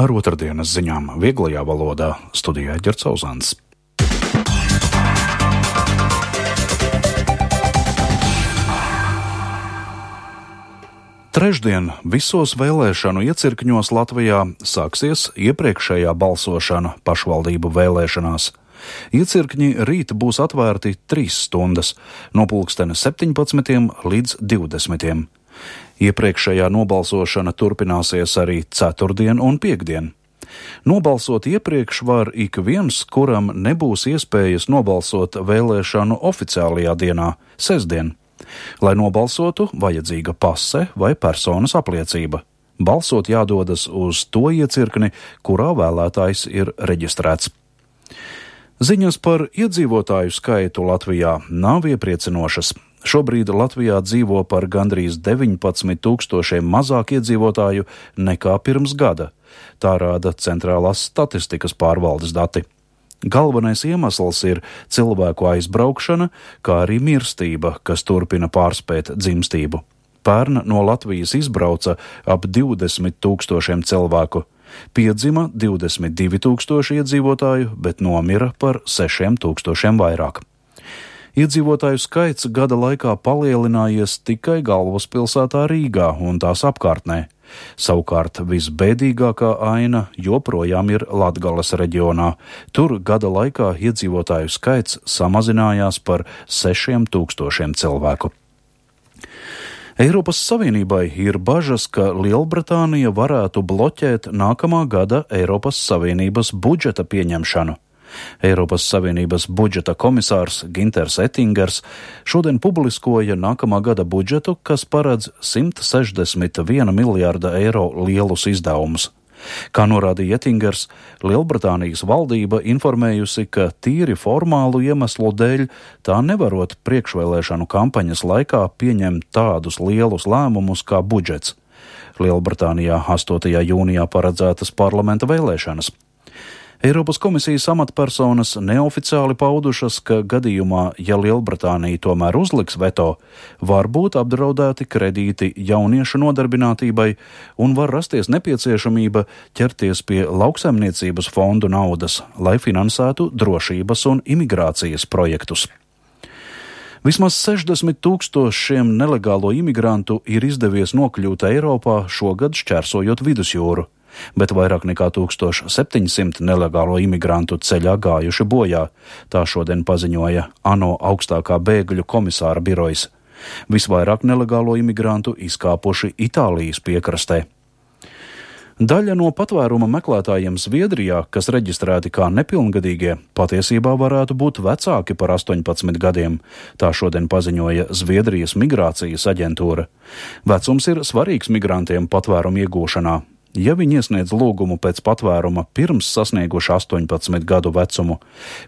Ar otrdienas ziņām vieglajā valodā studijā Ģerts Auzāns. Trešdien visos vēlēšanu iecirkņos Latvijā sāksies iepriekšējā balsošana pašvaldību vēlēšanās. Iecirkņi rīt būs atvērti 3 stundas, no pulksteni 17 līdz 20. Iepriekšējā nobalsošana turpināsies arī ceturtdien un piektdien. Nobalsot iepriekš var ik viens, kuram nebūs iespējas nobalsot vēlēšanu oficiālajā dienā, sestdien. Lai nobalsotu, vajadzīga pase vai personas apliecība. Balsot jādodas uz to iecirkni, kurā vēlētājs ir reģistrēts. Ziņas par iedzīvotāju skaitu Latvijā nav iepriecinošas. Šobrīd Latvijā dzīvo par gandrīz 19 000 mazāk iedzīvotāju nekā pirms gada. Tā rāda Centrālās statistikas pārvaldes dati. Galvenais iemesls ir cilvēku aizbraukšana, kā arī mirstība, kas turpina pārspēt dzimstību. Pērn no Latvijas izbrauca ap 20 000 cilvēku. Piedzima 22 000 iedzīvotāju, bet nomira par 6 000 vairāk. Iedzīvotāju skaits gada laikā palielinājies tikai galvaspilsētā Rīgā un tās apkārtnē. Savukārt visbēdīgākā aina joprojām ir Latgales reģionā. Tur gada laikā iedzīvotāju skaits samazinājās par 6 000 cilvēku. Eiropas Savienībai ir bažas, ka Lielbritānija varētu bloķēt nākamā gada Eiropas Savienības budžeta pieņemšanu. Eiropas Savienības budžeta komisārs Ginters Ettingers šodien publiskoja nākamā gada budžetu, kas paredz 161 miljārda eiro lielus izdevumus. Kā norādīja Ettingers, Lielbritānijas valdība informējusi, ka tīri formālu iemeslu dēļ tā nevarot priekšvēlēšanu kampaņas laikā pieņemt tādus lielus lēmumus kā budžets. Lielbritānijā 8. jūnijā paredzētas parlamenta vēlēšanas. Eiropas komisijas amatpersonas neoficiāli paudušas, ka gadījumā, ja Lielbritānija tomēr uzliks veto, var būt apdraudēti kredīti jauniešu nodarbinātībai un var rasties nepieciešamība ķerties pie lauksaimniecības fondu naudas, lai finansētu drošības un imigrācijas projektus. Vismaz 60 000 nelegālo imigrantu ir izdevies nokļūt Eiropā šogad šķērsojot vidusjūru, bet vairāk nekā 1700 nelegālo imigrantu ceļā gājuši bojā, tā šodien paziņoja ANO augstākā bēgļu komisāra birojas. Visvairāk nelegālo imigrantu izkāpuši Itālijas piekrastē. Daļa no patvēruma meklētājiem Zviedrijā, kas reģistrēti kā nepilngadīgie, patiesībā varētu būt vecāki par 18 gadiem, tā šodien paziņoja Zviedrijas migrācijas aģentūra. Vecums ir svarīgs migrantiem patvērumu iegūšanā. Ja viņi iesniedz lūgumu pēc patvēruma pirms sasnieguši 18 gadu vecumu,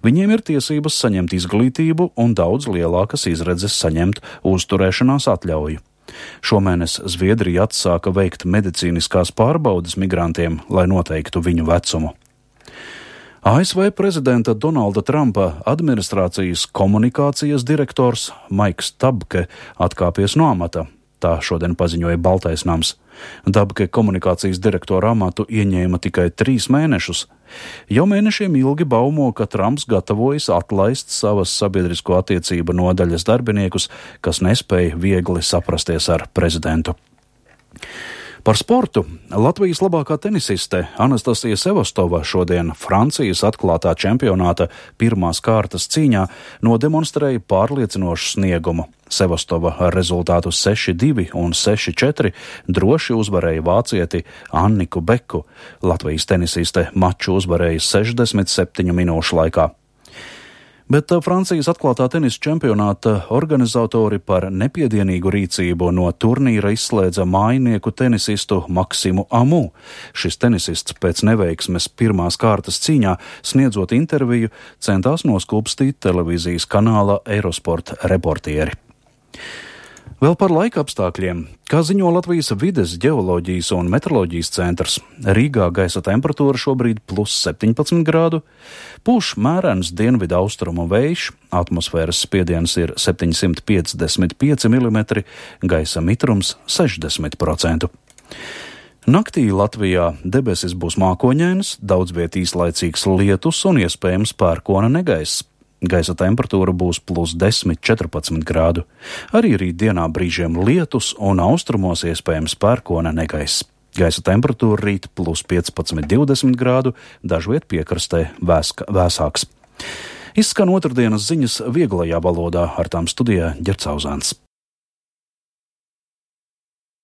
viņiem ir tiesības saņemt izglītību un daudz lielākas izredzes saņemt uzturēšanās atļauju. Šomēnes Zviedrija atsāka veikt medicīniskās pārbaudes migrantiem, lai noteiktu viņu vecumu. ASV prezidenta Donalda Trumpa administrācijas komunikācijas direktors Maiks Tabke atkāpies no amata. Tā šodien paziņoja Baltais nams. Dabke komunikācijas direktora amatu ieņēma tikai 3 mēnešus. Jau mēnešiem ilgi baumo, ka Trumps gatavojas atlaist savas sabiedrisko attiecību nodaļas darbiniekus, kas nespēja viegli saprasties ar prezidentu. Par sportu Latvijas labākā tenisiste Anastasija Sevastova šodien Francijas atklātā čempionāta pirmās kārtas cīņā nodemonstrēja pārliecinošu sniegumu. Sevastova ar rezultātu 6-2 un 6-4 droši uzvarēja vācieti Anniku Beku. Latvijas tenisiste maču uzvarēja 67 minūšu laikā. Bet Francijas atklātā tenisa čempionāta organizatori par nepiedienīgu rīcību no turnīra izslēdza mājinieku tenisistu Maksimu Amu. Šis tenisists pēc neveiksmes pirmās kārtas cīņā, sniedzot interviju, centās noskūpstīt televīzijas kanāla Eurosport reportieri. Vēl par laika apstākļiem. Kā ziņo Latvijas vides, ģeoloģijas un meteoroloģijas centrs, Rīgā gaisa temperatūra šobrīd +17 grādu, pūš mērens dienvidu austrumu vējš, atmosfēras spiediens ir 755 mm, gaisa mitrums 60%. Naktī Latvijā debesis būs mākoņainas, daudz viet īslaicīgs lietus un iespējams pērkona negaiss. Gaisa temperatūra būs +10, 14 grādu. Arī rītdienā brīžiem lietus un austrumos iespējams pērkona negaiss. Gaisa temperatūra rīt +15, 20 grādu, dažviet piekrastē vēsāks. Izskan otrdienas ziņas vieglajā valodā, ar tām studijā Ģercauzāns.